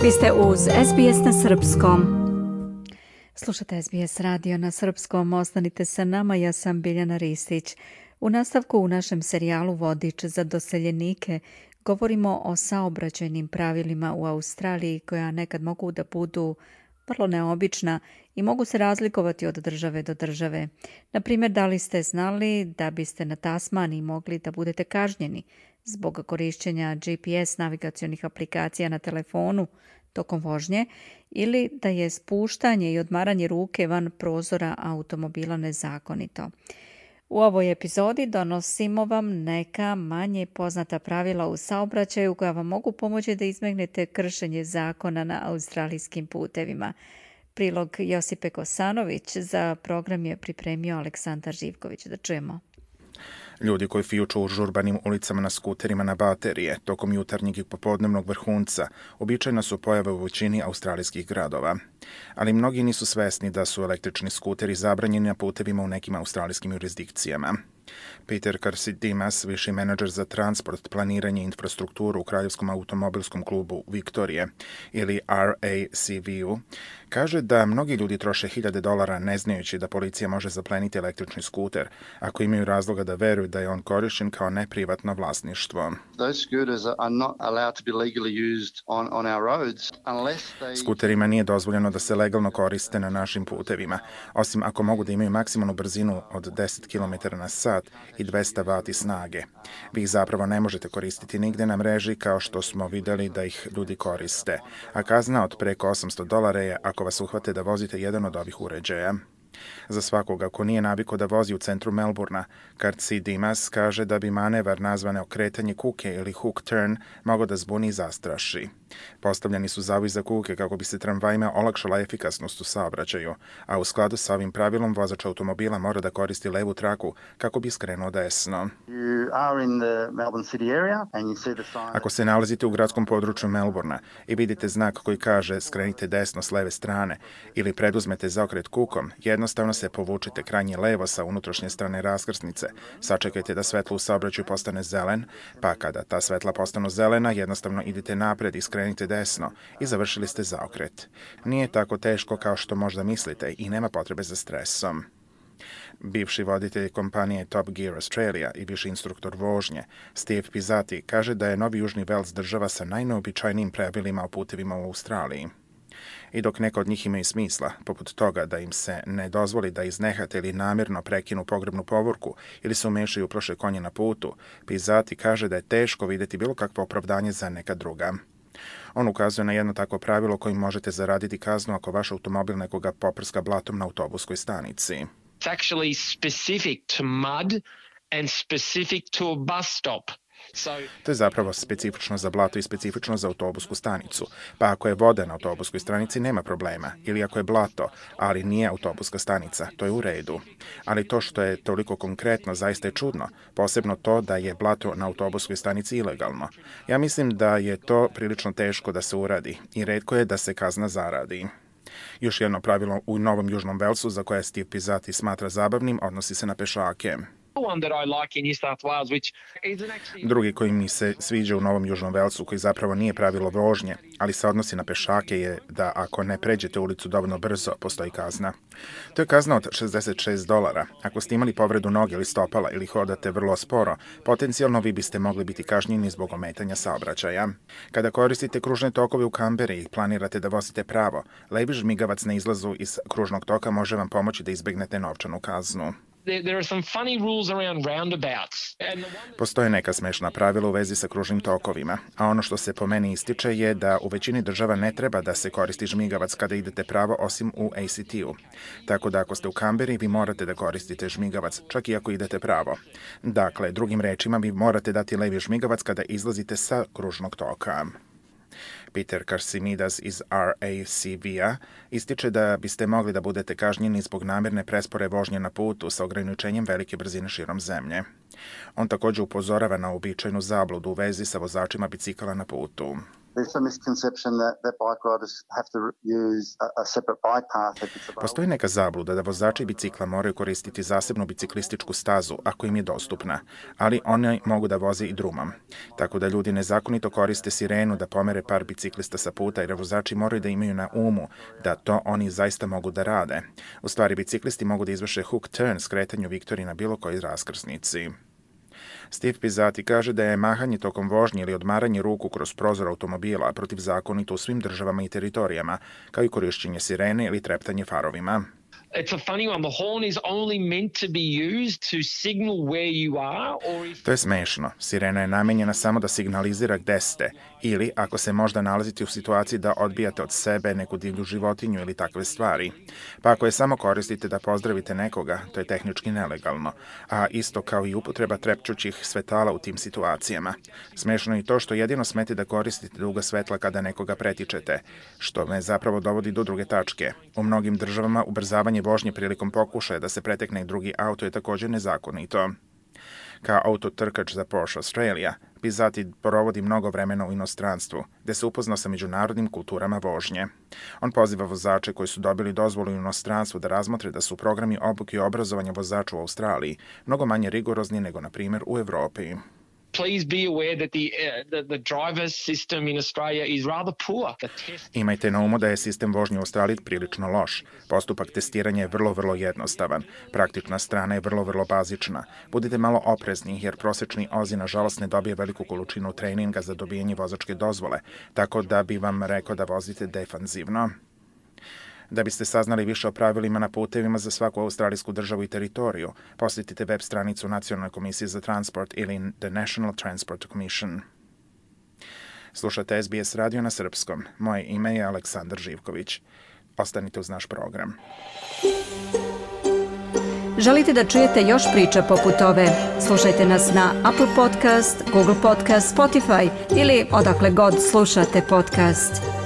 Vi ste uz SBS na Srpskom. Slušate SBS radio na Srpskom, ostanite sa nama, ja sam Biljana Ristić. U nastavku u našem serijalu Vodič za doseljenike govorimo o saobraćajnim pravilima u Australiji koja nekad mogu da budu vrlo neobična i mogu se razlikovati od države do države. Na primjer, da li ste znali da biste na Tasmaniji mogli da budete kažnjeni zbog korišćenja GPS navigacionih aplikacija na telefonu tokom vožnje ili da je spuštanje i odmaranje ruke van prozora automobila nezakonito. U ovoj epizodi donosimo vam neka manje poznata pravila u saobraćaju koja vam mogu pomoći da izbegnete kršenje zakona na australijskim putevima. Prilog Josipe Kosanović za program je pripremio Aleksandar Živković. Da čujemo. Ljudi koji fijuču u žurbanim ulicama na skuterima na baterije tokom jutarnjeg i popodnevnog vrhunca običajna su pojave u većini australijskih gradova. Ali mnogi nisu svesni da su električni skuteri zabranjeni na putevima u nekim australijskim jurisdikcijama. Peter Karsidimas, viši menadžer za transport, planiranje i infrastrukturu u Kraljevskom automobilskom klubu Viktorije ili RACV-u, kaže da mnogi ljudi troše $1000 ne znajući da policija može zapleniti električni skuter ako imaju razloga da veruju da je on korišćen kao neprivatno vlasništvo. Skuterima nije dozvoljeno da se legalno koriste na našim putevima, osim ako mogu da imaju maksimalnu brzinu od 10 km/h i 200 W snage. Vi ih zapravo ne možete koristiti nigde na mreži kao što smo videli da ih ljudi koriste, a kazna od preko $800 je ako vas uhvate da vozite jedan od ovih uređaja. Za svakoga ko nije navikao da vozi u centru Melbourna, Karsidimas kaže da bi manevar nazvane okretanje kuke ili hook turn mogao da zbuni i zastraši. Postavljeni su zavi za kuke kako bi se tramvajima olakšala efikasnost u saobraćaju, a u skladu sa ovim pravilom vozač automobila mora da koristi levu traku kako bi skrenuo desno. Ako se nalazite u gradskom području Melbourna i vidite znak koji kaže skrenite desno s leve strane ili preduzmete zaokret kukom, jednostavno se povučite krajnje levo sa unutrašnje strane raskrsnice, sačekajte da svetlo u saobraćaju postane zelen, pa kada ta svetla postanu zelena, jednostavno idite napred i skrenite desno i završili ste zaokret. Nije tako teško kao što možda mislite i nema potrebe za stresom. Bivši voditelj kompanije Top Gear Australia i viši instruktor vožnje, Steve Pizzati, kaže da je Novi Južni Vels država sa najneobičajnijim pravilima o putevima u Australiji. I dok neka od njih imaju smisla, poput toga da im se ne dozvoli da iznehate ili namjerno prekinu pogrebnu povorku ili se umešaju u prošle konje na putu, Pizzati kaže da je teško vidjeti bilo kakvo opravdanje za neka druga. On ukazuje na jedno takvo pravilo kojim možete zaraditi kaznu ako vaš automobil nekoga poprska blatom na autobuskoj stanici. It's actually specific to mud and specific to a bus stop. To je zapravo specifično za blato i specifično za autobusku stanicu. Pa ako je voda na autobuskoj stanici, nema problema. Ili ako je blato, ali nije autobuska stanica, to je u redu. Ali to što je toliko konkretno zaista je čudno, posebno to da je blato na autobuskoj stanici ilegalno. Ja mislim da je to prilično teško da se uradi i retko je da se kazna zaradi. Još jedno pravilo u Novom Južnom Velsu za koje Steve Pizzati smatra zabavnim odnosi se na pešake. Drugi koji mi se sviđa u Novom Južnom Velsu, koji zapravo nije pravilo vožnje, ali se odnosi na pešake, je da ako ne pređete ulicu dovoljno brzo, postoji kazna. To je kazna od $66. Ako ste imali povredu noge ili stopala ili hodate vrlo sporo, potencijalno vi biste mogli biti kažnjeni zbog ometanja saobraćaja. Kada koristite kružne tokove u Kamberi i planirate da vozite pravo, levi žmigavac na izlazu iz kružnog toka može vam pomoći da izbegnete novčanu kaznu. Postoje neka smešna pravila u vezi sa kružnim tokovima, a ono što se po meni ističe je da u većini država ne treba da se koristi žmigavac kada idete pravo osim u ACT-u. Tako da ako ste u Kamberi, vi morate da koristite žmigavac, čak i ako idete pravo. Dakle, drugim rečima, vi morate dati levi žmigavac kada izlazite sa kružnog toka. Peter Karsimidas iz RACV-a ističe da biste mogli da budete kažnjeni zbog namjerne prespore vožnje na putu sa ograničenjem velike brzine širom zemlje. On također upozorava na uobičajenu zabludu u vezi sa vozačima bicikala na putu. Postoji neka zabluda da vozači bicikla moraju koristiti zasebnu biciklističku stazu ako im je dostupna, ali oni mogu da voze i drumom. Tako da ljudi nezakonito koriste sirenu da pomere par biciklista sa puta, jer vozači moraju da imaju na umu da to oni zaista mogu da rade. U stvari, biciklisti mogu da izvrše hook turn skretanju Viktoriji na bilo kojoj raskrsnici. Steve Pizzati kaže da je mahanje tokom vožnje ili odmaranje ruku kroz prozor automobila protivzakonito u svim državama i teritorijama, kao i korišćenje sirene ili treptanje farovima. It's a funny one. The horn is only meant to be used to signal where you are or if... To je smešno. Sirena je namenjena samo da signalizira gde ste ili ako se možda nalazite u situaciji da odbijate od sebe neku divlju životinju ili takve stvari. Pa ako je samo koristite da pozdravite nekoga, to je tehnički nelegalno, a isto kao i upotreba trepćućih svetala u tim situacijama. Smešno je i to što jedino smete da koristite duga svetla kada nekoga pretičete, što me zapravo dovodi do druge tačke. U mnogim državama ubrzavanje vožnje prilikom pokušaja da se pretekne drugi auto je također nezakonito. Kao autotrkač za Porsche Australia, Pizzati provodi mnogo vremena u inostranstvu, gde se upoznao sa međunarodnim kulturama vožnje. On poziva vozače koji su dobili dozvolu u inostranstvu da razmotre da su programi obuke i obrazovanja vozača u Australiji mnogo manje rigorozni nego, na primjer, u Evropi. Please be aware that the driver's system in Australia is rather poor. Imajte na umu da je sistem vožnje u Australiji prilično loš. Postupak testiranja je vrlo jednostavan. Praktična strana je vrlo bazična. Budite malo oprezni jer prosečni Ozi nažalost ne dobije veliku količinu treninga za dobijanje vozačke dozvole, tako da bi vam rekao da vozite defanzivno. Da biste saznali više o pravilima na putevima za svaku australijsku državu i teritoriju, posjetite web stranicu Nacionalne komisije za transport ili The National Transport Commission. Slušate SBS radio na srpskom. Moje ime je Aleksandar Živković. Ostanite uz naš program. Želite da čujete još priča poput ove? Slušajte nas na Apple Podcast, Google Podcast, Spotify ili odakle god slušate podcast.